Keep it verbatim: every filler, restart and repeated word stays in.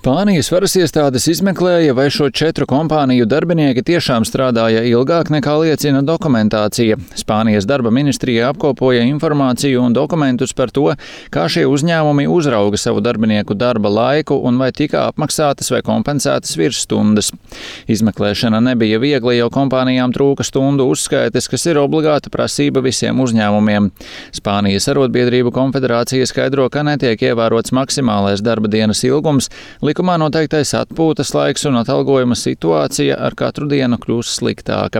Spānijas varas iestādes izmeklēja, vai šo četru kompāniju darbinieki tiešām strādāja ilgāk nekā liecina dokumentācija. Spānijas darba ministrija apkopoja informāciju un dokumentus par to, kā šie uzņēmumi uzrauga savu darbinieku darba laiku un vai tika apmaksātas vai kompensētas virsstundas. Izmeklēšana nebija viegla, jo kompānijām trūka stundu uzskaites, kas ir obligāta prasība visiem uzņēmumiem. Spānijas arotbiedrību konfederācija skaidro, ka netiek ievērots maksimālais darba dienas ilgums, likumā noteiktais atpūtas laiks un atalgojuma situācija ar katru dienu kļūst sliktāka.